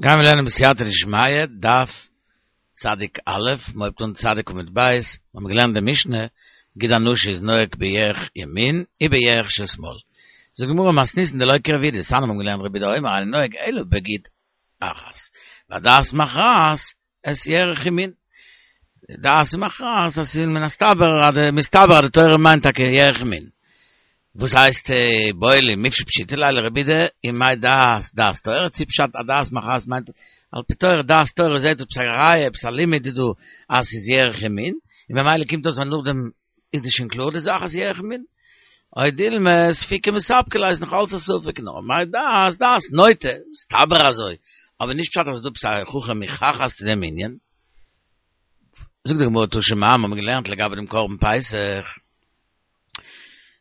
גיימיר לערנען בסייעתא דשמיא, דף צדיק א', מ'הויבט אן צדיק עמוד ב', מיר האבן געלערנט די משנה, גיד הנשה איז נוהג בירך ימין ובירך של שמאל. זאגט די גמרא מתניתין דלא כרבי יהודה, דתניא מיר האבן געלערנט רבי יהודה אומר אינו נוהג אלא בגיד אחת, והדעת מכרעת את ירך ימין. די דעת איז מכרעת אז ס'איז מן הסתבר אז די מסתבר אז די תורה מיינט טאקע ירך ימין. וואס הייסט איבעיא להו מיפשט פשיטא ליה לרבי יהודה ומאי דעת דעת תורה צו פשט אז דעת מכרעת מיינט על פי תורה דעת תורה זעהט עפעס א ראיה עפעס א לימוד איז דא אז ס'איז ירך ימין און ממילא קומט אויס אז נאכדעם איז דאס שוין קלאר די זאך אז ירך ימין. או דילמא ספיקא מספקא ליה איז נאך אלץ א ספק נאר מאי דעת דעת נוטה, מסתבר אזוי, אבער נישט פשט אז ס'איז דא עפעס א הוכחה מוכחת צו דעם ענין. זאגט די גמרא תא שמע מיר האבן געלערנט לגבי דעם קרבן פסח,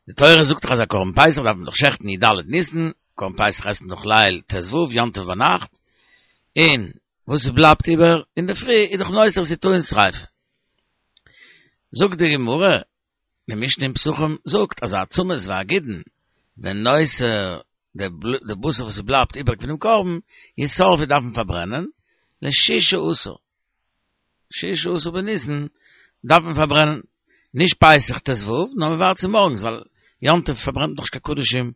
די תורה זאגט דאך אז א קרבן פסח דארף מען דאך שעכטן י ד ניסן, קרבן פסח עסט מען דאך ליל ט ו, יום טוב ביינאכט, און וואס עס בלייבט איבער אינדערפרי איז דאך נותר ס'איז טעון שריפה. זאגט די גמרא, די משנה אין פסחים זאגט אז העצמות והגידין ונותר די בשר וואס ס'בלייבט איבעריג פונעם קרבן ישרפו דארף מען פארברענען לשישה עשר, שישה עשר בניסן דארף מען פארברענען, נישט פסח ט ו, נאר מען ווארט צו מארגנס ווייל יום טוב פארברענט מען דאך נישט קיין קדשים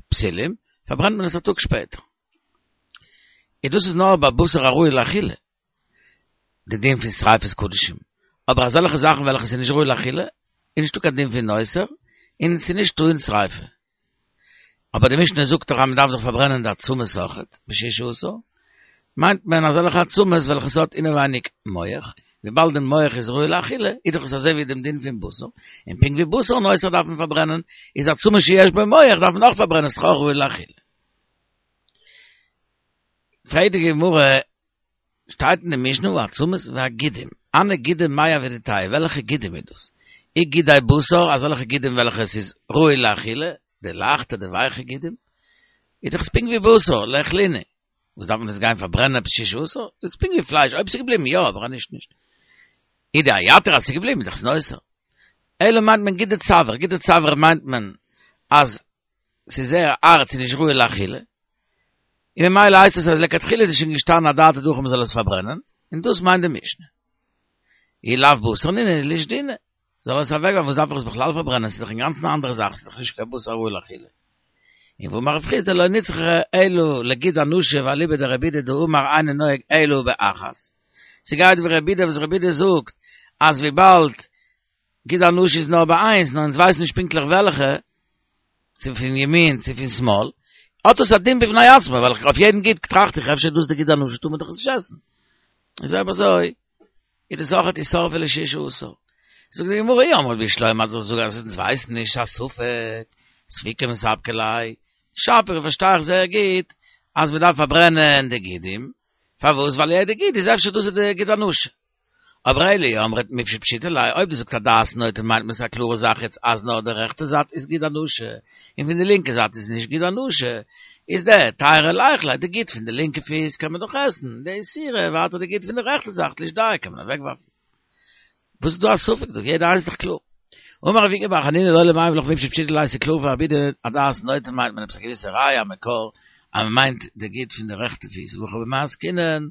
פסולים, פארברענט מען עס א טאג שפעטער. און דאס איז נאר ביי בשר הראוי לאכילה, די דין פון שריפת קדשים, אבער אזעלכע זאכן וועלכע ס'איז נישט ראוי לאכילה, איז נישטא קיין דין פון נותר, און ס'איז נישט טעון שריפה. אבער די משנה זאגט דאך אז מ'דארף דאך פארברענען די עצמות אויכעט, בשישה עשר, מיינט מען אזעלכע עצמות וועלכע ס'האט אינעווייניג מח, וויבאלד די מח איז ראוי לאכילה, איז דאך עס אזוי ווי דעם דין פון בשר, און פונקט ווי בשר נותר דארף מען פארברענען, איז עצמות שיש בו מח דארף מען אויך פארברענען, ס'איז דאך אויך ראוי לאכילה. פרעגט די גמרא, שטייט אין די משנה העצמות והגידים, הני גידי מאי עבידתייהו, וועלכע גידים איז דאס? אי גידי בשר, אזעלכע גידים וועלכע עס איז ראוי לאכילה, די לייכטע די ווייכע גידים, איז דאך עס פונקט ווי בשר, ליכלינהו, וואס דארף מען עס גיין פארברענען עפעס ששה עשר? איז פונקט ווי פלייש, אויב עס איז געבליבן יא, אבער אז נישט נישט. אי דאייתור אז עס איז געבליבן איז דאך עס נותר. אלא מיינט מען גידי צוואר, גידי צוואר מיינט מען אז ס'איז זייער הארט ס'איז נישט ראוי לאכילה, און ממילא הייסט עס אז לכתחילה איז עס שוין געשטאנען אדעתא דהכי מ'זאל עס פארברענען, און דאס מיינט די משנה. אי לאו בשר נינהו לישדינהו, זאל עס אוועקווארפן, וואס דארף איך עס בכלל פארברענען, ס'איז דאך אינגאנצן א אנדערע זאך, ס'איז דאך נישט קיין בשר ראוי לאכילה. און והאמר רב חסדא לא נצרכה אלא לגיד הנשה ואליבא דרבי יהודה דאמר אינו נוהג אלא באחת. ס'גייט ווי רבי יהודה וואס רבי יהודה זאגט אז וויבאלד גיד הנשה איז נאר ביי איינס, נאר אונז ווייסן נישט פונקטליך וועלכע, צו פון ימין צו פון שמאל, האט עס א דין בפני עצמו, ווייל אויף יעדן גיד טראכט איך אפשר איז דאס די גיד הנשה טאר מען דאך עס נישט עסן. איז אויב אזוי איז דאס אויכעט ישרפו לשישה עשר. זאגט די גמרא אי אמרת בשלמא אז איך זאג אז אונז ווייסן נישט ס'איז א ספק, ספיקא מספקא ליה, שפיר פארשטיי איך זייער גוט אז מ'דארף פארברענען די גידים, פארוואס ווייל יעדע גיד איז אפשר דאס איז די גיד הנשה. אבער אלא אי אמרת מיפשט פשיטא ליה, אויב דו זאגסט אז דעת נוטה מיינט מען ס'איז א קלארע זאך יעצט אז נאר די רעכטע זייט איז גיד הנשה און פון די לינקע זייט איז נישט גיד הנשה, איז דהתירא ליכליה, די גיד פון די לינקע פיס קען מען דאך עסן, דאיסורא ווייטער די גיד פון די רעכטע זייט לישדייה קען מען אוועקווארפן. וואס איז דא א ספק דא? יעדע איינס איז דאך קלאר. אמר רב איקא בר חנינא לעולם אימא לך מיפשט פשיטא ליה ס'איז קלאר פאר רבי יהודה אז דעת נוטה מיינט מען עפעס א געוויסע ראיה א מקור אז מען מיינט די גיד פון די רעכטע פיס והכא במאי עסקינן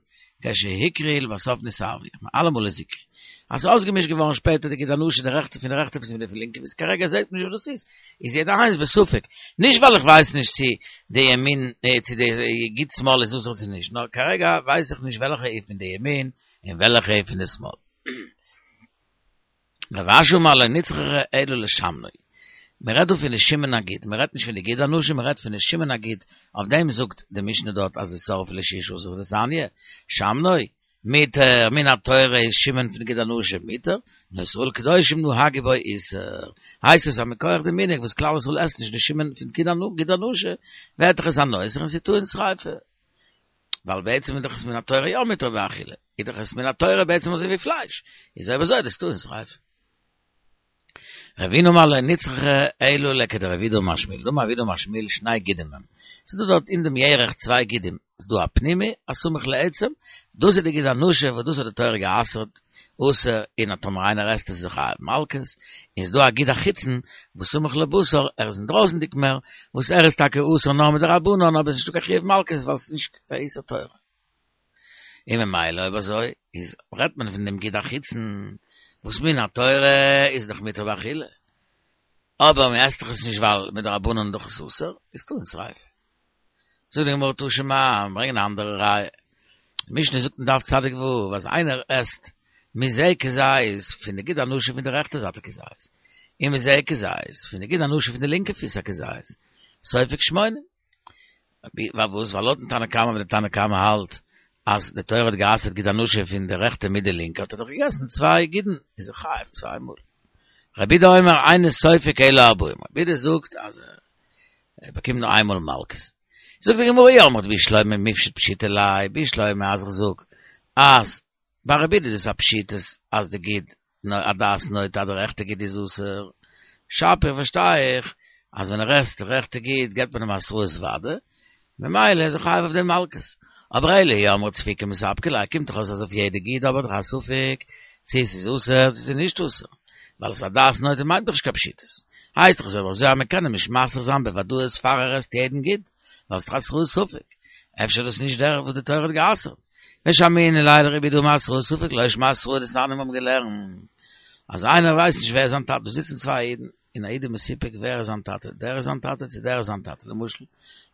כשהוכרו לבסוף נתערבו אלעמאל איז הוכרו אז ס'איז אויסגעמישט געווארן שפעטער די גיד הנשה די רעכטע פון די רעכטע פיס מיט די פון לינקע פיס כרגע זעהט מען נישט וואס דאס איז איז יעדע איינס בספק נישט ווייל איך ווייס נישט צו די ימין צו די גיד שמאל איז אסור צו נישט נאר כרגע ווייס איך נישט וועלכע איז פון די ימין און וועלכע איז פון די שמאל. רב אשי אמר לא נצרכה אלא לשמנו. מען רעדט דא פון די שמן הגיד, מען רעדט נישט פון די גיד הנשה, מען רעדט פון די שמן הגיד, אויף דעם זאגט די משנה דארט אז ישרפו לשישה עשר דתניא, שמנו, מותר, מן התורה איז שמן פון גיד הנשה מותר, נאר ישראל קדושים נהגו בו איסור. הייסט עס אז מכח די מנהג וואס כלל ישראל עסט נישט די שמן פון גיד הנשה, ווערט דאך עס א נותר און ס'איז טעון שריפה. ווייל בעצם איז דאך עס מן התורה יא מותר באכילה, איז דאך עס מן התורה בעצם אזוי ווי פלייש, איז אויב אזוי דאס טעון שריפה. רבינא אמר לא נצרכה אלא לכדרב יהודה אמר שמואל, דאמר רב יהודה אמר שמואל שני גידים הם, ס'איז דא דארט אין דעם ירך צוויי גידים, ס'איז דא א פנימי הסמוך לעצם, דאס איז די גיד הנשה וואס דאס האט די תורה גע'אסר'ט, אסור, און טאמער איינער עסט עס איז ער חייב מלקות, און ס'איז דא א גיד החיצון וואס סמוך לבשר, ער איז אינדרויסנדיג מער, וואס ער איז טאקע אסור נאר מדרבנן אבער עס איז נישטא קיין חיוב מלקות ווייל עס איז נישט קיין איסור תורה. און ממילא אויב אזוי איז רעדט מען פון דעם גיד החיצון וואס מן התורה איז דאך מותר באכילה, אבער מען עסט דאך עס נישט ווייל מדרבנן איז דאך עס אסור, איז טעון שריפה. זאגט די גמרא תא שמע, ברענגען א אנדערע ראיה, די משנה זאגט אין דף צדיק ו' אז איינער עסט מזה כזית פון די גיד הנשה פון די רעכטע זייט א כזית, און מזה כזית פון די גיד הנשה פון די לינקע פיס א כזית, סופג שמונים. פארוואס? ווייל לויטן תנא קמא ווען די תנא קמא האלט אז די תורה האט גע'אסר'ט גיד הנשה פון די רעכטע מיט די לינקע האט ער דאך געגעסן צוויי גידן איז ער חייב צוויי מאל. רבי יהודה אומר אינו סופג אלא ארבעים רבי יהודה זאגט אז ער באקומט נאר איינמאל מלקות. זאגט די גמרא אי אמרת בשלמא מיפשט פשיטא ליה בשלמא אז איך זאג אז ביי רבי יהודה איז עס א פשיטות אז די גיד הדעת נוטה אז די רעכטע גיד איז אסור, שפיר פארשטיי איך אז ווען ער עסט די רעכטע גיד געבט מען אים התראת ודאי, ממילא איז ער חייב אויף דעם מלקות. אבער אלא אי אמרת ספיקא מספקא ליה קומט דאך אויס אז אויף יעדע גיד האב איך דאך א ספק צו עס איז אסור צו עס איז נישט אסור, ווייל עס הדעת נוטה מיינט דאך נישט קיין פשיטות. הייסט דאך אז אויב אזוי אז מען קען אים נישט מתרה זיין בוודאות פאר ער עסט יעדן גיד, ווייל ס'איז דאך התראת ספק. אפשר איז דאס נישט דער וואס די תורה האט גע'אסר'ט. ושמעינן ליה לרבי יהודה דאמר התראת ספק לא שמע התראה דתניא מיר האבן געלערנט אז איינער ווייסט נישט ווער איז זיין טאטע דא זיצן צוויי אידן און א איד איז מסופק ווער איז זיין טאטע דער איז זיין טאטע צו דער איז זיין טאטע למשל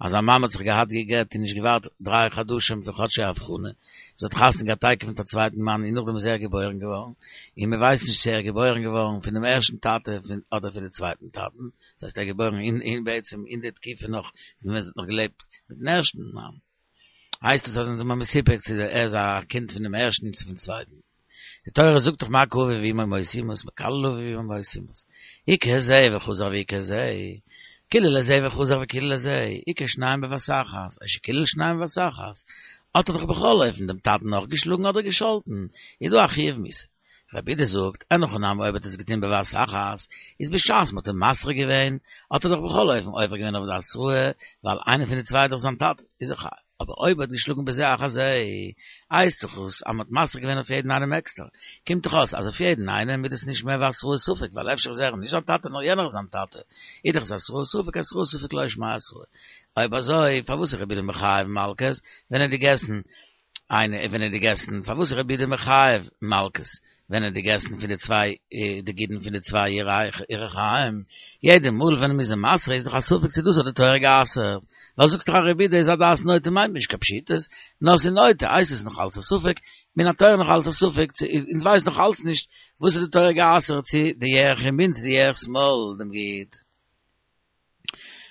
אז א מאמע האט זיך געהאט גע'גט און נישט געווארט דריי חדשים פון חדשי הבחנה זי האט חתונה געהאט תיכף מיט א צווייטן מאן און נאכדעם איז ער געבוירן געווארן און מען ווייסט נישט צו ער איז געבוירן געווארן פון דעם ערשטן טאטע אדער פון די צווייטן טאטן דאס הייסט ער איז געבוירן אין בעצם אין די תקופה נאך ווען זי האט נאך געלעבט מיטן ערשטן מאן. הייסט עס אז אונז זעמער מסופק צו ער איז א קינד פון דעם ערשטן צו פון צווייטן. די תורה זאגט דאך מכה אביו ואמו מות יומת מקלל אביו ואמו מות יומת. הכה זה וחזר והכה זה. קילל את זה וחזר וקילל את זה. הכה שניים בבת אחת, או שקילל שניים בבת אחת. האט ער דאך בכל אופן דעם טאטן נאך געשלאגן אדער געשאלטן. איז דא א חיוב מיתה. רבי יהודה זאגט, אין הכי נמי אויב האט ער עס געטון בבת אחת, איז בשעת מ'האט אים מתרה געווען, האט ער דאך בכל אופן עובר געווען אויף די התראה, ווייל איינער פון די צוויי איז דאך זיין טאטע, איז ער חייב. אבער אויב ער האט געשלאגן בזה אחר זה, הייסט דאך עס אז מ'האט מתרה געווען אויף יעדן איינעם עקסטער. קומט דאך אויס אז אויף יעדן איינעם איז דאס נישט מער ווי התראת ספק, ווייל אפשר איז ער נישט זיין טאטע נאר יענער איז זיין טאטע, איז דאך עס התראת ספק, התראת ספק לא שמיה התראה. אויב אזוי, פארוואס איז רבי יהודה מחייב מלקות ווען ער האט געגעסן איינע ווען ער האט געגעסן, פארוואס איז רבי יהודה מחייב מלקות ווען ער האט געגעסן פון די צוויי די גידין פון די צוויי ירכיים, יעדע מאל ווען מ'איז אים מתרה איז דאך א ספק צו דאס האט די תורה גע'אסר'ט, ווייל זאגסט דאך אז רבי יהודה איז הדעת נוטה מיינט נישט קיין פשיטות, נאר ס'איז נוטה הייסט עס נאך אלץ א ספק, מן התורה נאך אלץ א ספק צו איז אונז ווייסן נאך אלץ נישט וואס האט די תורה גע'אסר'ט צו די ירך ימין צו די ירך שמאל דעם גיד.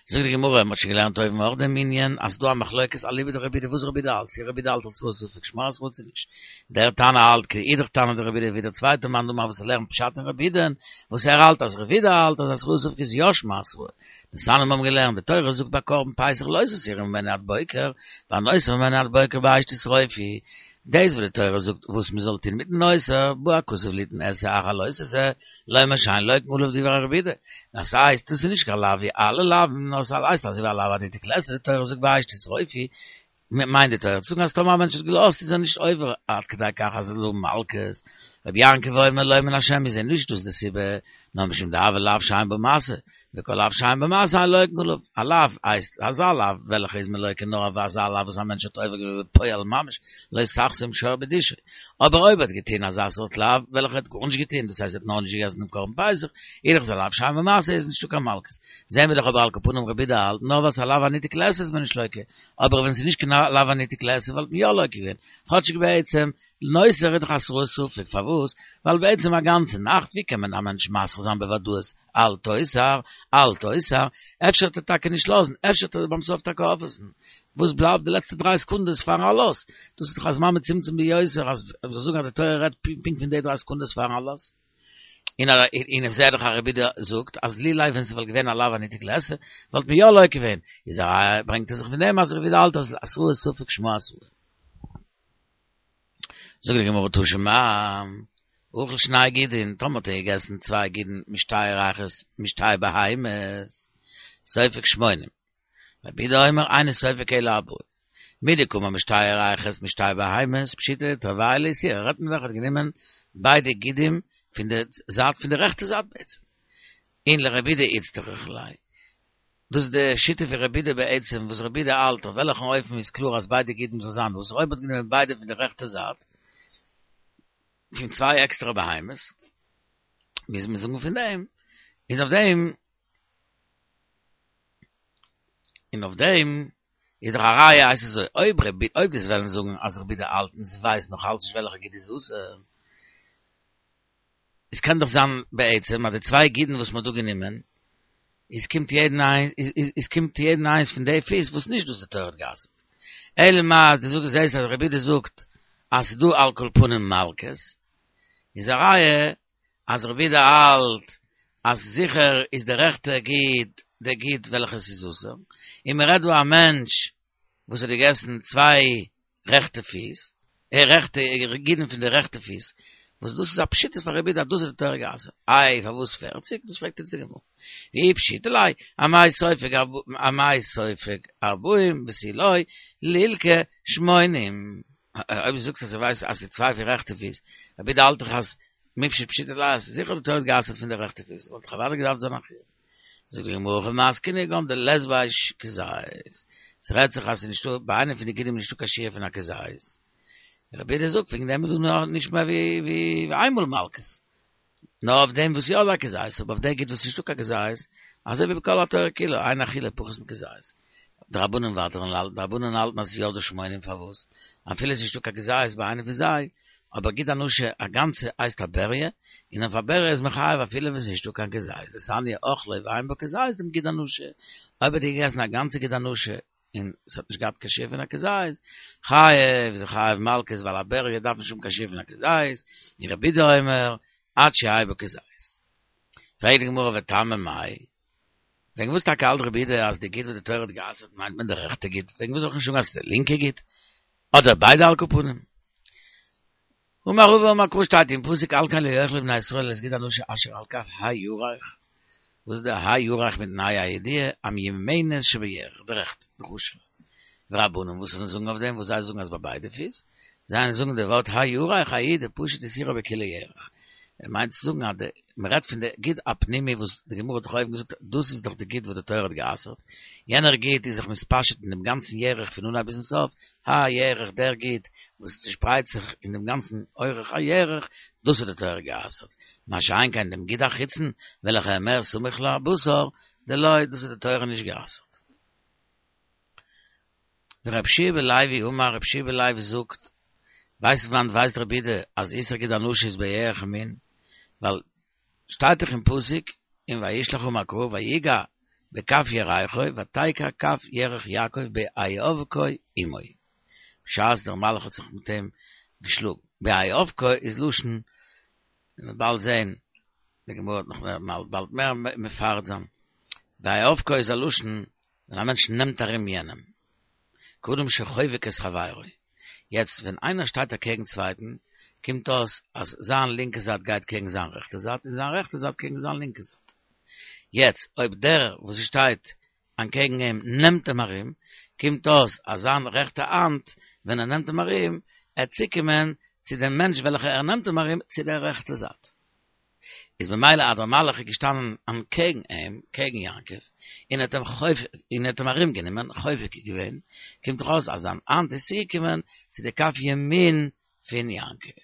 זאגט די גמרא, מ'האט שוין געלערנט אויבן אויך דעם ענין, אז ס'דא א מחלוקת אליבא דרבי יהודה וואס רבי יהודה האלט, צו רבי יהודה האלט התראת ספק שמע התראה צו נישט. דער תנא האלט כאידך תנא דרבי יהודה ווי דער צווייטער מאן דאמר וואס לערנט פשט אין רבי יהודה'ן, וואס ער האלט אז רבי יהודה האלט אז התראת ספק איז יא שמע התראה. דתניא מיר האבן געלערנט, די תורה זאגט ביי קרבן פסח לא תותירו ממנו עד בוקר, והנותר ממנו עד בוקר באש תשרופו, דאס וואס די תורה זאגט וואס מען זאל טון מיטן נותר, בא הכתוב ליתן עשה אחר לא תעשה, לומר שאין לוקין עליו דברי רבי יהודה. דאס הייסט, דאס איז נישט קיין לאו ווי אלע לאוו'ן, נאר ס'הייסט אזוי ווי א לאו הניתק לעשה, די תורה זאגט באש תשרופו, מיינט די תורה צו זאגן אז טאמער א מענטש האט געלאזט איז ער נישט עובר עד כדי כך אז ער זאל האבן מלקות. רבי יעקב אומר לא מן השם איז נישט דאס די סיבה, נאר משום דהוי לאו שאין בו מעשה, וכל לאו שאין בו מעשה אין לוקין עליו, א לאו הייסט אזא לאו וועלכע איז מען לוקה נאר אויף אזא לאו וואס א מענטש האט עובר געווען בפועל ממש, לא תחסום שור בדישו, אבער אויב ער האט געטוהן אזא סארט לאו וועלכע ער האט גארנישט געטוהן, דאס הייסט ער האט נאר נישט געגעסן דעם קרבן פסח, איז דאך עס א לאו שאין בו מעשה איז נישטא קיין מלקות. זעהן מיר דאך אבער על כל פנים רבי יהודה האלט נאר ווייל ס'איז א לאו הניתק לעשה איז מען נישט לוקה, אבער ווען ס'איז נישט קיין לאו הניתק לעשה וואלט מען יא לוקה געווען, כאטשיג בעצם נותר איז דאך התראת ספק, פארוואס? ווייל בעצם א גאנצע נאכט ווי קען מען א מענטש מתרה זיין בוודאות אל תותר, אל תותר, אפשר וועט ער טאקע נישט לאזן, אפשר וועט ער ביים סוף טאקע אויפעסן, וואס בלייבט די לעצטע דריי סעקונדעס פארן עלות? דאס איז דאך א זמן מצומצם ביותר אז מ'זאל זאגן אז די תורה רעדט פונקט פון די דריי סעקונדעס פארן עלות. און איך זעה דאך אז רבי יהודה זאגט אז לולא ווען ס'וואלט געווען א לאו הניתק לעשה וואלט מען יא לוקה געווען, איז א ראיה ברענגט ער זיך פון דעם אז רבי יהודה האלט אז התראת ספק שמה התראה. זאגט די גמרא תא שמע, אכל שני גידין, טאמער האט ער געגעסן צוויי גידין משתי ירכות משתי בהמות, סופג שמונים, רבי יהודה אומר אינו סופג אלא ארבעים, מדקאמר משתי ירכות משתי בהמות, פשיטא תרווייהו לאיסורא, רעדט מען דאך ער האט גענומען ביידע גידים פון די זייט פון די רעכטע זייט בעצם, און לרבי יהודה איצטריך ליה. דאס איז די שיטה פון רבי יהודה בעצם, וואס רבי יהודה האלט אויף וועלכן אופן איז קלאר אז ביידע גידים זאל זיין אסור, אויב מ'האט גענומען ביידע פון די רעכטע זייט, פון צוויי עקסטערע בהמות, מוז מען זאגן פון דעם, איז אויף דעם, און אויף דעם איז דאך א ראיה אז ס'איז אזוי, אויב רבי, אויב דו'סט וועלן זאגן אז רבי יהודה האלט און ס'ווייסט נאך אלץ נישט וועלכע גיד איז אסור, עס קען דאך זיין בעצם אז די צוויי גידין וואס מ'האט דא גענומען, איז קומט יעדן איינס, איז קומט יעדן איינס פון די פיס וואס נישט דאס די תורה האט גע'אסר'ט. אלא מאי אז דו זאגסט זעסט אז רבי יהודה זאגט אז ס'איז דא על כל פנים מלקות, איז א ראיה אז רבי יהודה האלט אז זיכער איז די רעכטע גיד די גיד וועלכע ס'איז אסור, און מ'רעדט דא א מענטש וואס האט געגעסן צוויי רעכטע פיס, רעכטע גידין פון די רעכטע פיס, וואס דאס איז א פשיטא פאר רבי יהודה אז דאס האט די תורה גע'אסר'ט, איי פארוואס פערציג? דאס פרעגט אונז די גמרא, ואי פשיטא ליה, אמאי סופג אמאי סופג ארבעים ותו לא לילקי שמונים, אויב דו זאגסט אז ער ווייסט אז ס'איז צוויי פון רעכטע פיס, רבי יהודה האלט דאך אז מיפשט פשיטא ליה אז זיכער די תורה האט גע'אסר'ט פון די רעכטע פיס, וואלט דאך אוודאי געדארפט זיין א חיוב. זאגט די גמרא הכא במאי עסקינן כגון דלית ביה כזית, ס'רעדט זיך אז ס'איז נישטא ביי איינע פון די גידים נישטא קיין שיעור פון א כזית, רבי יהודה זאגט וועגן דעם איז דא נאר נישט מער ווי איינמאל מלקות, נאר אויף דעם וואס יא איז א כזית, אבער אויף די גיד וואס נישטא קיין כזית, אזוי ווי בכל התורה כולה, אין אכילה פחות מכזית. די רבנן ווייטער די רבנן האלטן אז ס'איז יא דא שמונים פארוואס? אפילו ס'איז נישטא קיין כזית ביי איינע פון זיי, אבער גיד הנשה א גאנצע הייסט א בריה, און אויף א בריה איז מען חייב אפילו ווען ס'איז נישטא קיין כזית, דתניא אכלו ואין בו כזית דעם גיד הנשה, אויב האט ער געגעסן א גאנצע גיד הנשה און ס'האט נישט געהאט קיין שיעור פון א כזית, חייב איז ער חייב מלקות ווייל א בריה דארף נישט האבן קיין שיעור פון א כזית, און רבי יהודה אומר עד שיהא בו כזית. פרעגט די גמרא וטעמא מאי, וועגן וואס טאקע האלט רבי יהודה אז די גיד וואס די תורה האט גע'אסר'ט מיינט מען די רעכטע גיד, וועגן וואס זאל איך נישט זאגן אז ס'איז די לינקע גיד? אדער ביידע על כל פנים. אמר רבא אמר קרא שטייט אין פסוק על כן לא יאכלו בני ישראל את גיד הנשה אשר על כף הירך, וואס איז די הירך מיטן ה' הידיעה, המיומנת שבירך, די רעכטע, די חשוב'ע. ורבנן וואס זיי זאגן אויף דעם וואס זיי זאגן אז ביי ביידע פיס, זיי זאגן די ווארט הירך ההיא דפשט איסורא בכולה ירך. ער מיינט צו זאגן אז די מען רעדט פון די גיד הפנימי וואס די גמרא האט דאך אויבן געזאגט דאס איז דאך די גיד וואס די תורה האט גע'אסר'ט, יענער גיד איז זיך מתפשט אין דעם גאנצן ירך פון אנהייב ביזן סוף, הירך דער גיד וואס צושפרייט זיך אין דעם גאנצן אורך הירך, דאס האט די תורה גע'אסר'ט, מה שאין כן דעם גיד החיצון וועלכע איז מער סמוך לבשר, דלא, דאס האט די תורה נישט גע'אסר'ט. ורבי יהושע בן לוי אמר, רבי יהושע בן לוי זאגט, ווייסט וואנט ווייסט רבי יהודה אז איסור גיד הנשה איז בירך ימין, ווייל שטייט דאך אין פסוק אין וישלח אמר קרא ויגע בכף ירכו ותקע כף ירך יעקב בהיאבקו עמו, בשעת דער מלאך האט זיך מיט אים געשלאגן, בהיאבקו איז לשון, מ'וועט באלד זען, די גמרא וועט נאך באלד מער מפרט זיין, בהיאבקו איז א לשון ווען א מענטש נעמט ארום יענעם, כאדם שחובק את חברו, יעצט ווען איינער שטייט אקעגן צווייטן, קומט אויס אז זיין לינקע זייט גייט קעגן זיין רעכטע זייט, און זיין רעכטע זייט קעגן זיין לינקע זייט. יעצט אויב דער וואס שטייט אנטקעגן אים נעמט אים ארום, קומט אויס אז זיין רעכטע האנט ווען ער נעמט אים ארום, עט צוקומען צו דעם מענטש וועלכע ער נעמט אים ארום צו דער רעכטע זייט. איז במילא אז דער מלאך איז געשטאנען אנטקעגן אים, קעגן יעקב, און האט אים חובק, און האט אים ארום גענומען, חובק געווען, קומט דאך אויס אז זיין האנט איז צוגעקומען צו די כף ימין פון יעקב.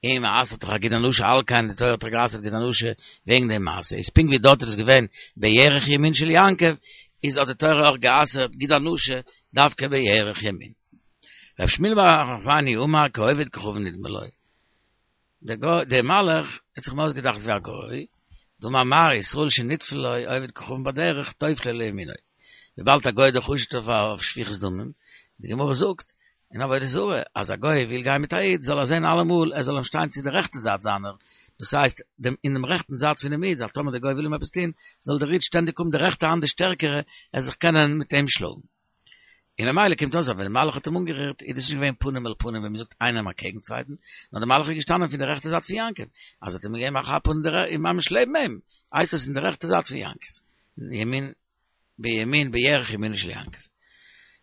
און מען אסר'ט דאך א גיד הנשה על כן, די תורה האט דאך גע'אסר'ט גיד הנשה וועגן די מעשה, איז פונקט ווי דארט איז עס געווען בירך ימין של יעקב, איז האט די תורה אויך גע'אסר'ט גיד הנשה דווקא בירך ימין. ר' שמואל בר נחמני אמר כעובד כוכבים נדמה לו. דער גוי, דער מלאך האט זיך אים אויסגעדאכט ווי א גוי, דאמר מר ישראל שנטפל לו עובד כוכבים בדרך טופלו לימינו, וויבאלד א גוי איז דאך חשוד אויף שפיכות דמים, די גמרא זאגט אין עבודה זרה אז א גוי וויל גיין מיט א איד זאל ער זען אלעמאל ער זאל אים שטיין צו די רעכטע זייט זיינער, דאס הייסט דעם אין דעם רעכטן זייט פונעם איד, אז טאמער דער גוי וויל אים עפעס טון זאל דער איד שטענדיג האבן די רעכטע האנט די שטערקערע ער זיך קענען מיט אים שלאגן. און ממילא קומט אויס אז ווען די מלאך האט אים אנגערירט איז דאס נישט געווען פנים אל פנים ווי מ'זאגט איינעם אקעגן צווייטן, נאר די מלאך איז געשטאנען פון די רעכטע זייט פון יעקב, אז האט אים געגעבן א כאפ אן די ממש לעבן אים, הייסט דאס אין די רעכטע זייט פון יעקב, ימין בימין בירך ימינו של יעקב.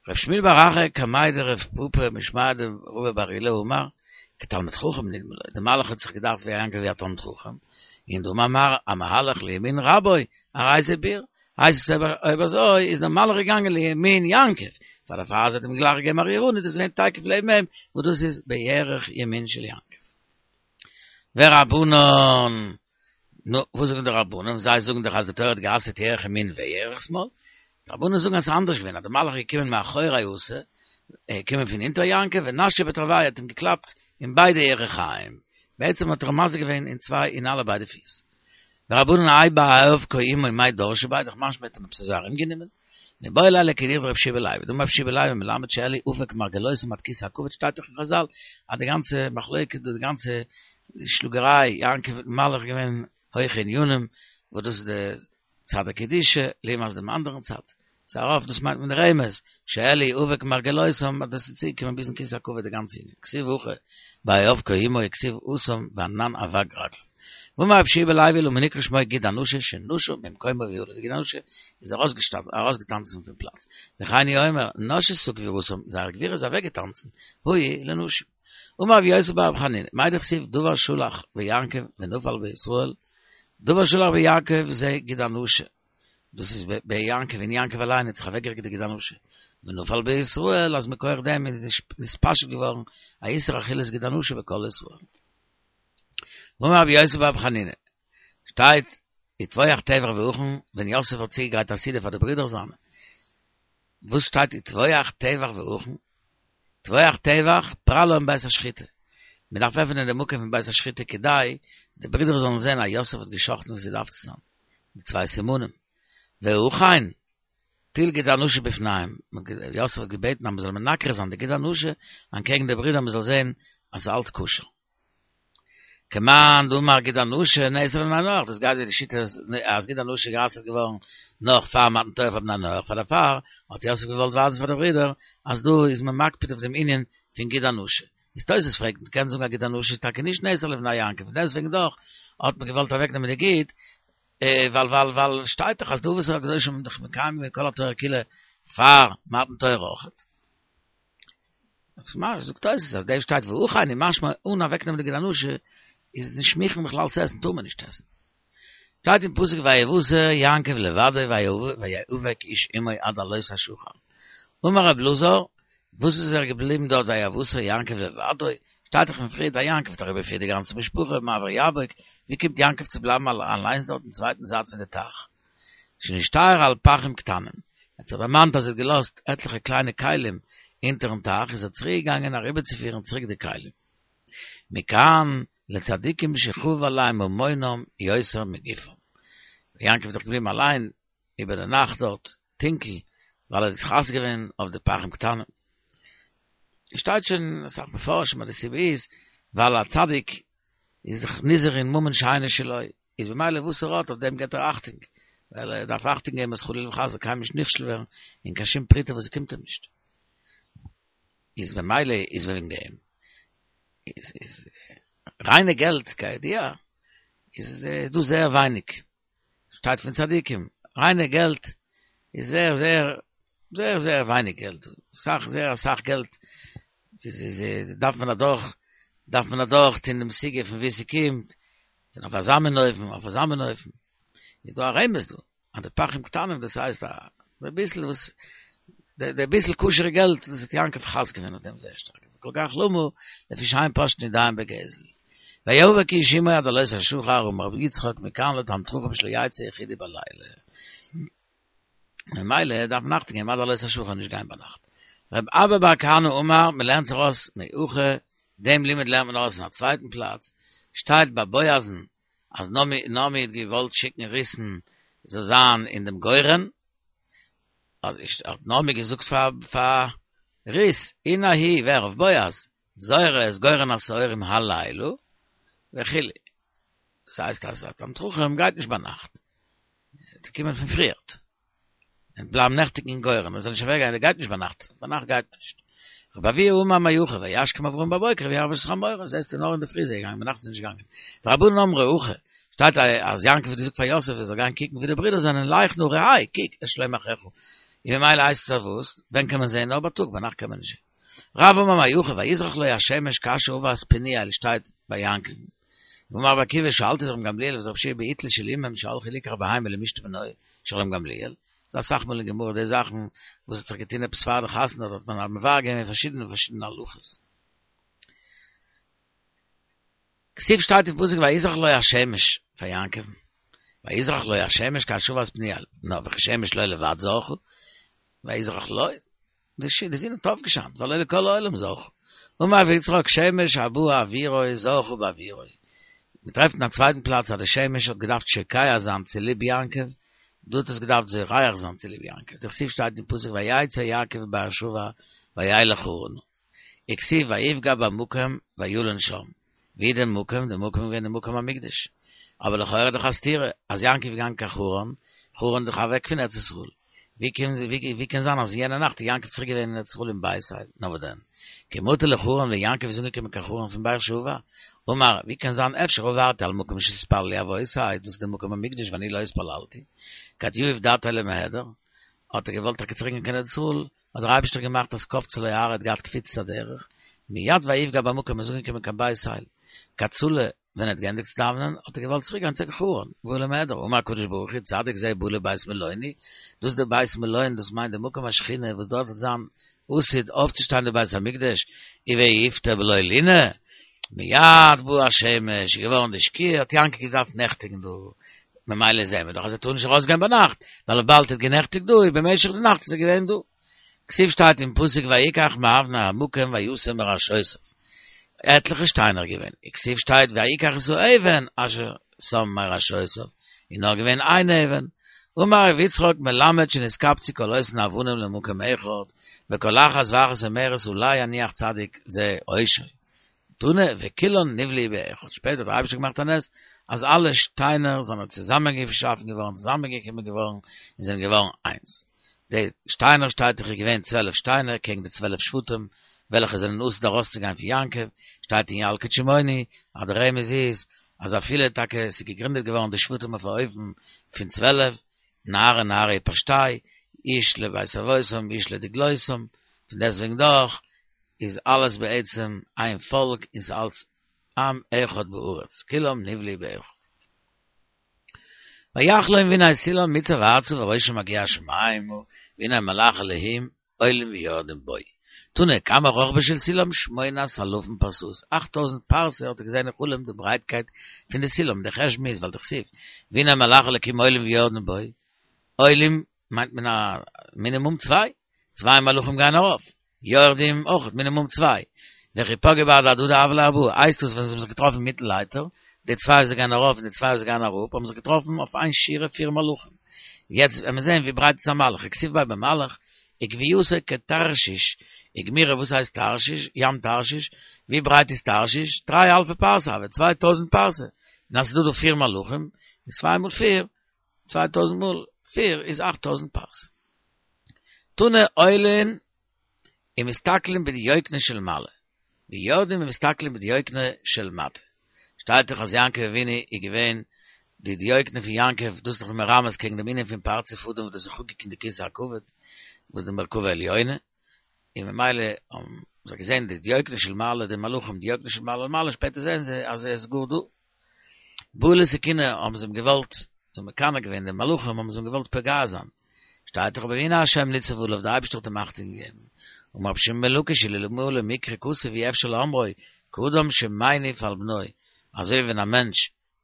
ר' שמואל בר אחא קמיה דרב פפא משמיה דרבא בר עולא אמר, כתלמיד חכם נדמה לו, די מלאך האט זיך געדאכט ווי יעקב ווי א תלמיד חכם, און דאמר מר המהלך לימין רבו, הרי זה בור. הייסט עס אויב אזוי איז דער מלאך געגאנגען לימין יעקב, פאר דערפאר אז ער האט אים גלייך געגעבן א ריר אן איז דאס געווען תיכף לעבן אים, וואס דאס איז בירך ימין של יעקב. ורבנן, נו, וואס זאגן די רבנן? זיי זאגן דאך אז די תורה האט גע'אסר'ט ירך ימין וירך שמאל. די רבנן זאגן אז ס'איז אנדערש געווען, אז די מלאך איז געקומען מאחורי אתא, ער איז געקומען פון הינטער יעקב, ונשקיה בתרווייהו האט אים געקלאפט אין ביידע ירכיים. בעצם האט ער אים מזיק געווען אין צוויי אין אלע ביידע פיס. ורבנן האי בהאבקו עמו מאי דרשי ביה, דאך משמע האט אים עפעס אזוי ארומגענומען. מיבעי ליה לכדאיך דרבי יהושע בן לוי, דאמר רבי יהושע בן לוי מלמד שאלי אפק מרגלותם עד כסא הכבוד שטייט דאך אין חזל אז די גאנצע מחלוקת דא די גאנצע שלאגעריי יעקב מיטן מלאך איז געווען הויכע ענינים וואס דאס איז די צד הקדושה לעומת דעם אנדערן צד ס'איז ארויף דאס מיינט מען רמז שאלי אבק מרגלותם אז דאס איז צוגעקומען ביזן כסא הכבוד די גאנצע ענין כתיב הכא בהיאבקו עמו וכתיב התם וענן אבק רגליו. ואמר רבי יהושע בן לוי למה נקרא שמו גיד הנשה שנשה ממקומו ועלה די גיד הנשה איז ארויסגעטאנצן פון פלאץ וכן הוא אומר נשתה גבורתם זייער גבורה איז אוועקגעטאנצן היו לנשים אמר רבי יוסי בר רבי חנינא מאי דכתיב דבר שלח ביעקב ונפל בישראל דבר שלח ביעקב זה גיד הנשה דאס איז ביעקב אין יעקב אליין האט זיך אוועקגעריקט די גיד הנשה ונפל בישראל אז מכח דעם איז נתפשט געווארן א איסור אכילת גיד הנשה בכל ישראל. ואמר רבי יוסי בר רבי חנינא, שטייט וטבוח טבח והכן, ווען יוסף האט צוגעגרייט א סעודה פאר די ברידער זיינע, וואס שטייט וטבוח טבח והכן? טבוח טבח פרע להם בית השחיטה, מען דארף עפענען די מקום פון בית השחיטה כדי די ברידער זאלן זען אז יוסף האט גע'שחט'ן ווי ס'דארף צו זיין, די צוויי סימנים, והכן טול גיד הנשה בפניהם, יוסף האט געבעטן אז מען זאל מנקר זיין די גיד הנשה אנטקעגן די ברידער מען זאל זען אז ס'איז אלץ כשר. כמאן דאמר גיד הנשה נאסר לבני נח, דאס גייט ווי די שיטה אז גיד הנשה איז גע'אסר'ט געווארן נאך פאר מתן תורה פאר בני נח, פאר דערפאר האט יוסף געוואלט ווייזן פאר די ברידער אז דא איז מען מקפיד אויף דעם ענין פון גיד הנשה. איז תוס' פרעגט, מען קען זאגן אז גיד הנשה איז טאקע נישט נאסר לבני יעקב, פון דעסטוועגן דאך האט מען געוואלט אוועקנעמען די גיד, ווייל ווייל ווייל שטייט דאך אז די אבות הקדושים האבן דאך מקיים געווען כל התורה כולה פאר מתן תורה אויכעט. זאגט תוס' אז דא שטייט והכן איז משמע אן אוועקנעמען די גיד הנשה איז נישט מוכן בכלל צו עסן טאר מען נישט עסן. שטייט אין פסוק ויותר יעקב לבדו ויאבק איש עמו עד עלות השחר. אמר רב אלעזר, וואס איז ער געבליבן דארט ויותר יעקב לבדו? שטייט דאך פון פריער אז יעקב האט אריבערגעפירט די גאנצע משפחה מעבר יבוק, ווי קומט יעקב צו בלייבן אליינס דארט אין צווייטן זייט פון די טייך? שנשתייר על פכים קטנים, ער האט זיך דערמאנט אז ער האט געלאזט עטליכע קליינע כלים אונטערן טייך איז ער צוריק געגאנגען אריבערצופירן צוריק די כלים. מכאן לצדיקים שחביב עליהם ממונם יותר מגופם. יעקב איז דאך געבליבן אליין איבער די נאכט דארט טונקל ווייל ער האט חס געווען אויף די פכים קטנים. שטייט שוין אסאך מפרשים אז די סיבה איז ווייל א צדיק איז דאך נזהר אין ממון שאינו שלו, איז במילא וואס ער האט אויף דעם געבט ער אכטונג, ווייל ער דארף אכטונג געבן אז חלילה וחס זאל קיינמאל נישט נכשל ווערן אין קיין שום פרוטה וואס קומט אים נישט. איז במילא איז וועגן דעם איז איז ריינע געלט כידוע איז דא זייער ווייניג, שטייט פון צדיקים, ריינע געלט איז זייער זייער זייער זייער ווייניג געלט, אסאך זייער אסאך געלט איז איז דארף מען אדורך דארף מען אדורך טון דעם סוגיא פון וואו ס'קומט, און אויף אזא מין אופן אויף אזא מין אופן, איז דא א רמז דא, אז די פכים קטנים דאס הייסט א ביסל וואס די ביסל כשר'ע געלט דאס האט יעקב חס געווען אויף דעם זייער שטארק, וכל כך למה לפי שאין פושטין ידיהם בגזל. ויאבק איש עמו עד עלות השחר אמר רבי יצחק מכאן לתלמיד חכם שלא יצא יחידי בלילה. ממילא דארף מען אכטונג געבן עד עלות השחר נישט גיין ביינאכט. רב אבא בר כהנא אמר, מען לערנט זיך אויס מהכא, דעם לימוד לערנט מען אויס אין א צווייטן פלאץ, שטייט ביי בועז'ן אז נעמי האט געוואלט שיקן רות'ן זאל זיין אין דעם גורן, האט נעמי געזאגט פאר רות, הנה הוא, ווער אויף בועז, זורה את גורן השעורים הלילה, וכו'. דאס הייסט אז א תלמיד חכם גייט נישט ביינאכט, צו קומען פון פריערט, און בלייבן נעכטיגן אין גורן, מען זאל נישט אוועק גיין, ער גייט נישט ביינאכט, ביינאכט גייט מען נישט. רבי אבהו אמר מהכא, וישכם אברהם בבוקר וירא את חמורו, זעסטו נאר אינדערפרי איז ער געגאנגען, ביינאכט איז ער נישט געגאנגען. ורבנן אמרי הכי, שטייט אז יעקב האט געזאגט פאר יוסף ער זאל גיין קוקן ווי די ברידער זענען, לך נא ראה, קוק, את שלום אחיך. און ממילא הייסט עס אז וואס? ווען קען מען זען? נאר בייטאג, ביינאכט קען מען נישט זען. רב אמר מהכא, ויזרח לו השמש כאשר עבר את פניאל שטייט ביי יעקב. ואמר רבי עקיבא שאלתי את רבן גמליאל ואת רבי יהושע בעיטלא של אמם שהלכו ליקח בהמה למשתה בנוי של רבן גמליאל, ס'דא אסאך מאל אין גמרא די זאכן וואס האט זיך געטון עפעס פאר די חתונה האט מען מבאר געווען פארשידענע פארשידענע הלכות. כתיב שטייט אין פסוק ויזרח לו השמש פאר יעקב, ויזרח לו השמש כאשר שבת פניאל, נו וכי שמש לא לבד זרחה, ויזרח לו, די זון האט אויפגעשיינט, והלא לכל העולם זרחה. אמר רבי יצחק שמש הבאה עבורו זרחה בעבורו. מען טרעפט אין א צווייטן פלאץ אז די שמש האט געדארפט שוקע זיין צוליב יעקב, דא האט עס געדארפט זורח זיין צוליב יעקב, דכתיב שטייט אין פסוק ויצא יעקב מבאר שבע וילך חרנה. וכתיב ויפגע במקום וילן שם. ווי די מקום? די מקום איז געווען די מקום המקדש. אבער לכאורה דאך א סתירה, אז יעקב איז געגאנגען קיין חרן, חרן איז דאך אוועק פון ארץ ישראל. ווי קען ווי קען זיין אז יענע נאכט איז יעקב צוריק געווען אין ארץ ישראל אין בית אל? נאר וואס דען? כי מטא לחרן ווען יעקב איז אנגעקומען קיין חרן פון באר שבע, אמר, ווי קען זיין אפשר עברתי על מקום שהתפללו אבותי, דאס איז די מקום המקדש ואני לא התפללתי, כד יהיב דעתיה למהדר, האט ער געוואלט טאקע צוריק גיין קיין ארץ ישראל, האט דער אייבערשטער געמאכט אז קפצה לו הארה האט געהאט קפיצת הדרך, מיד ויפגע במקום איז אנגעקומען קיין בית אל, כד צלי, ווען ער האט געענדיגט צו דאווענען האט ער געוואלט צוריק גיין צו חרן, בעי למהדר, אמר הקדוש ברוך הוא צדיק זה בא לבית מלוני, דאס איז די בית מלון דאס מיינט די מקום השכינה וואס דארט וועט זיין עתיד אויפצושטיין די בית המקדש, ויפטר בלא לינה, מיד בא השמש, איז געווארן די שקיעה, האט יעקב געדארפט נעכטיגן דא, ממילא זעהן מיר דאך אז ער טאר נישט ארויס גיין ביינאכט, ווייל וויבאלד ער האט גענעכטיגט דא איז במשך די נאכט איז ער געווען דא. כתיב שטייט אין פסוק ויקח מאבני המקום וישם מראשותיו. עטליכע שטיינער געווען. וכתיב שטייט ויקח את האבן אשר שם מראשותיו. איז נאר געווען איין אבן. אמר ר' יצחק מלמד שנתקבצו כל אותן אבנים למקום אחד, וכל אחת ואחת אומרת עלי יניח צדיק זה ראשו. תנא וכולן נבלעו באחד, שפעטער האט דער אייבערשטער געמאכט א נס אז אלע שטיינער זענען צוזאמענגעשאפן געווארן, צוזאמענגעקומען געווארן, און זענען געווארן איינס. די שטיינער שטייט דאך איז געווען צוועלף שטיינער קעגן די צוועלף שבטים וועלכע זענען עתיד ארויסצוגיין פון יעקב, שטייט אין ילקוט שמעוני אז דער רמז איז אז אפילו טאקע עס איז געגרינדעט געווארן די שבטים אויף א אופן פון צוועלף, נהרי נהרי פשתי', איש לבית אבותם איש לדגלותם, פון דעסטוועגן דאך איז אלעס בעצם איין פאלק און ס'איז אלץ עם אחד בארץ, כולם נבלעו באחד. ויחלום והנה סולם מוצב ארצה וראשו מגיע השמימה והנה מלאכי אלהים עולים ויורדים בו. תנא כמה רוחבו של סולם שמונת אלפים פרסאות, אכט טויזנט פרסה האט ער געזען אין חלום די ברייטקייט פון די סולם, די חשבון איז ווייל דכתיב והנה מלאכי אלקים עולים ויורדים בו, עולים מיינט מען א מינימום צוויי, צוויי מלאכים גייען ארויף, יורדים אויך מינימום צוויי, וכי פגעי בהדי הדדי הוו להו ארבעה, הייסט דאס ווען זיי האבן זיך געטראפן אינמיטן לייטער, די צוויי וואס גייען ארויף און די צוויי וואס גייען אראפ האבן זיך געטראפן אויף איין שורה פיר מלאכים, יעצט ווען מיר זעהן ווי ברייט איז א מלאך, וכתיב ביה במלאך, וגבהתו כתרשיש, וגמירי וואס הייסט תרשיש, ים תרשיש, ווי ברייט איז תרשיש, תרי אלפי פרסה הוי, 2000 פרסה, און אז ס'איז דא דא פיר מלאכים, איז צוויי מאל פיר, 2000 מאל פיר איז 8000 פרסה. תנא עולין ומסתכלין בדיוקנו של מעלה, ויורדין ומסתכלין בדיוקנו של מטה. שטייט דאך אז יעקב אבינו איז געווען די דיוקנו פון יעקב, דאס איז דאך מרמז קעגן דעם ענין פון פרצוף אדם וואס דאס איז חקוק אין די כסא הכבוד, וואס די מרכבה עליונה, און ממילא האבן זיי געזען די דיוקנו של מעלה, די מלאכים דיוקנו של מעלה למעלה, שפעטער זעען זיי אז ער איז גאר דא. בעו לתקוני האבן זיי אים געוואלט, זיי האבן מקנא געווען די מלאכים האבן זיי אים געוואלט פוגע זיין, שטייט דאך אבער והנה השם ניצב עליו, די אייבערשטער האט אים אכטונג געגעבן, אמר רבי שמעון בן לקיש אלמלא מקרא כתוב אי אפשר לאומרו, כאדם שמניף על בנו, אזוי ווי ווען א מענטש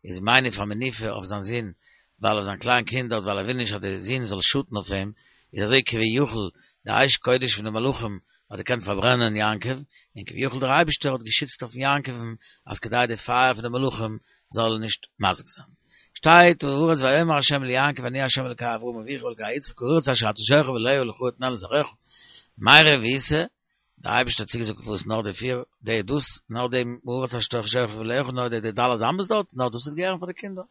איז מניף א מניפה אויף זיין זון, ווייל אויף זיין קליין קינד דארט ווייל ער וויל נישט אז די זון זאל שאטן אויף אים, איז אזוי כביכול די אש קודש פון די מלאכים האט געקענט פארברענען יעקב, און כביכול דער אייבערשטער האט געשיצט אויף יעקב'ן אז כדי די פייער פון די מלאכים זאל נישט מזיק זיין. שטייט הארץ ויאמר ה' ליעקב אני ה' אלקי אברהם אביך ואלקי יצחק הארץ אשר אתה שוכב עליה לך אתננה ולזרעך מאי רבותא דער אייבערשטער האט צוגעזאגט וואס נאר די פיר די דאס נאר די הארץ אשר אתה שוכב עליה נאר די די ד' אמות דארט נאר דאס וועט געהערן פאר די קינדער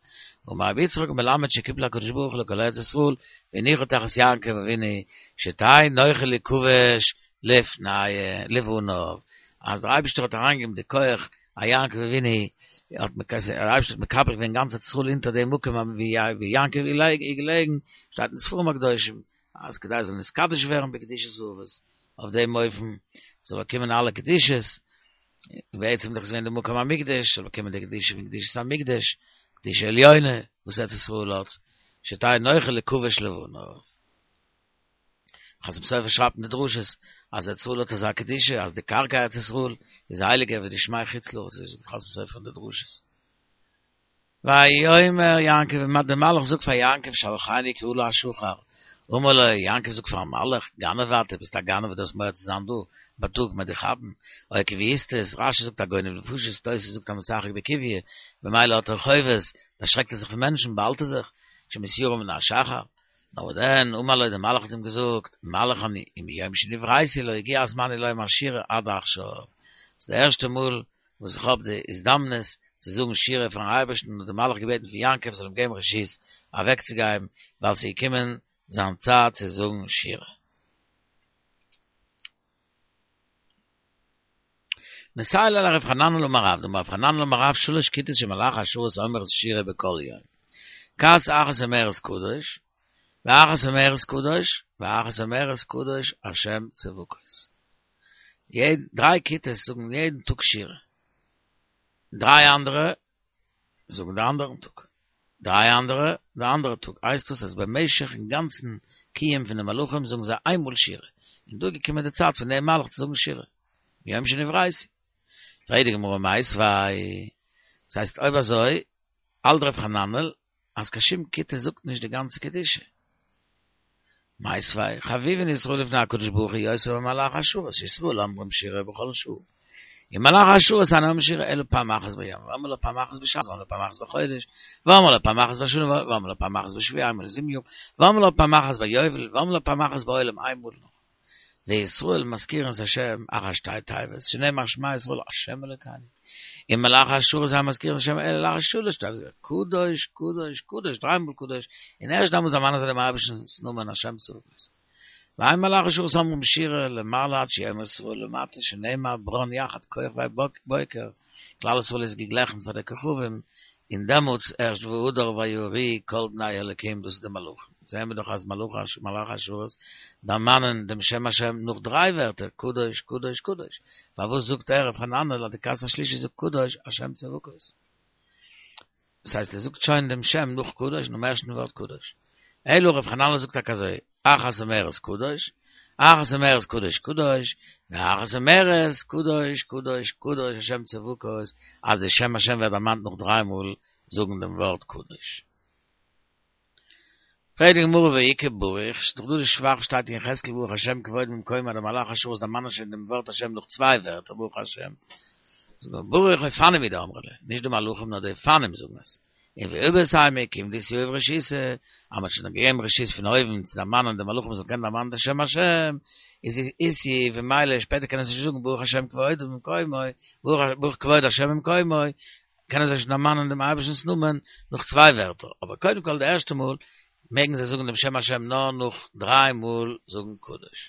אמר רבי יצחק מלמד שקיפל הקדוש ברוך הוא לכל ארץ ישראל והניחה תחת יעקב אבינו שתהא נוחה ליכבש לפני לפניו אז דער אייבערשטער האט אריינגעגעבן די כח א יעקב אבינו האט דער אייבערשטער האט מקבל געווען גאנץ ארץ ישראל אונטער דעם מקום ווי יעקב איז געלעגן, שטייט אין ספרים הקדושים אז כדי עס זאל נתקדש ווערן בקדושת אבות, אויף דעם אופן זאל באקומען אלע קדושות. בעצם דאך איז געווען די מקום המקדש, זאל באקומען די קדושה פון קדושת המקדש, קדושה עליונה וואס ארץ ישראל האט, שתהא נוחה לכבוש לבניו. חתם סופר שרייבט אין די דרשות אז ארץ ישראל האט אזא קדושה אז די קרקע ארץ ישראל איז הייליגער ווי די שמי חוץ לארץ, אזוי זאגט חתם סופר אין די דרשות. ויאמר יעקב, דער מלאך זאגט פאר יעקב שלחני כי עלה השחר, אמר לו, יעקב זאגט פארן מלאך, גנב אתה, ביסט א גנב דו האסט מורא צו זיין דא, בייטאג מ'עט דיך כאפן, או קוויאיסטעס, רשי זאגט א גונב נפשות, תוס' זאגט א משחק בקוביא, במילא האט ער חובות, דערשרעקט ער זיך פון מענטשן, באהאלט ער זיך, שמתיירא מן השחר. נאר וואס דען, אמר לו, דער מלאך האט אים געזאגט, מלאך אני, ומיום שנבראתי לא הגיע זמני לומר שירה עד עכשיו. ס'איז די ערשטע מאל וואס איך האב די הזדמנות צו זאגן שירה פארן אייבערשטן האט דער מלאך געבעטן פון יעקב זאל אים געבן רשות אוועקצוגיין ווייל ס'איז געקומען זיין צייט צו זאגן שירה. מסייע ליה לרב חננאל אמר רב, דאמר רב חננאל אמר רב שלש כיתות של מלאכי השרת אומרות שירה בכל יום. כת אחת אומרת קדוש, ואחת אומרת קדוש, ואחת אומרת קדוש השם צבקות. יעדן, דריי כיתות זאגן יעדן טאג שירה. דריי אנדערע זאגן די אנדערן טאג. דריי אנדערע די אנדערע טאג. הייסט דאס אז במשך'ן גאנצן קיום פון די מלאכים זאגן זיי איין מאל שירה. און דא איז געקומען די צייט פון דעם מלאך צו זאגן שירה. מיום שנבראתי. פרעגט די גמרא מיתיבי. דאס הייסט אויב אזוי האלט ר' חננאל אז קיין שום כיתה זאגט נישט די גאנצע קדושה. מיתיבי, חביבין ישראל לפני הקדוש ברוך הוא יותר ממלאכי השרת, שישראל אומרים שירה בכל שעה. און מלאכי השרת אינם אומרים שירה אלא פעם אחת ביום, ואמרי לה פעם אחת בשנה, ואמרי לה פעם אחת בחודש, ואמרי לה פעם אחת בשנה, ואמרי לה פעם אחת בשבוע, איינמאל אין זיבן יאר, ואמרי לה פעם אחת ביובל, ואמרי לה פעם אחת בעולם, איינמאל נאר. וישראל מזכירין את השם אחר שתי תיבות, שנאמר שמע ישראל השם אלוקינו. און מלאכי השרת אין מזכירין את השם אלא לאחר שלש תיבות, קדוש, קדוש, קדוש, דריי מאל קדוש, און ערשט דאמאלס דערמאנען זיי דעם אייבערשטנ'ס נאמען השם צבקות. ואין מלאכי השרת אומרים שירה למעלה עד שיאמרו ישראל למטה שנאמר ברן יחד כוכבי בוקר, כלל ישראל איז געגליכן פאר די כוכבים, און דעמאלטס ערשט והדר ויריעו כל בני אלוקים דאס איז די מלאכים, זעהן מיר דאך אז מלאכי השרת דערמאנען דעם שם השם נאך דריי ווערטער קדוש קדוש קדוש, פארוואס זאגט ער ר' חננאל אז די כת השלישית זאגט קדוש השם צבקות? דאס הייסט ער זאגט שוין דעם שם נאך קדוש נאכן ערשטן ווארט קדוש. אלא ר' חננאל זאגט טאקע אזוי, אחת אומרת קדוש, אחת אומרת קדוש קדוש, ואחת אומרת קדוש קדוש קדוש השם צבקות, אז די שם השם ווערט דערמאנט נאך דריי מאל זאגן דעם ווארט קדוש. פרעגט די גמרא והא איכא ברוך, ס'איז דאך דא די שבח שטייט אין יחזקאל ברוך השם כבודו במקומו אז די מלאכי השרת דערמאנען שוין דעם ווארט השם נאך צוויי ווערטער ברוך השם, זאגט מען ברוך אופנים הוא דאמרי ליה, נישט די מלאכים נאר די אופנים זאגן עס, און ואיבעית אימא כיון דאיתיהיב רשותא, אז מ'האט שוין געגעבן רשות פון אויבן צו דערמאנען די מלאכים זאלן קענען דערמאנען די שם השם, איז איתיהיב וממילא שפעטער קענען זיי שוין זאגן ברוך השם כבודו במקומו, ברוך כבוד השם במקומו, קענען זיי שוין דערמאנען דעם אייבערשטנ'ס נאמען נאך צוויי ווערטער, אבער קודם כל די ערשטע מאל מעגן זיי זאגן דעם שם השם נאר נאך דריי מאל זאגן קדוש.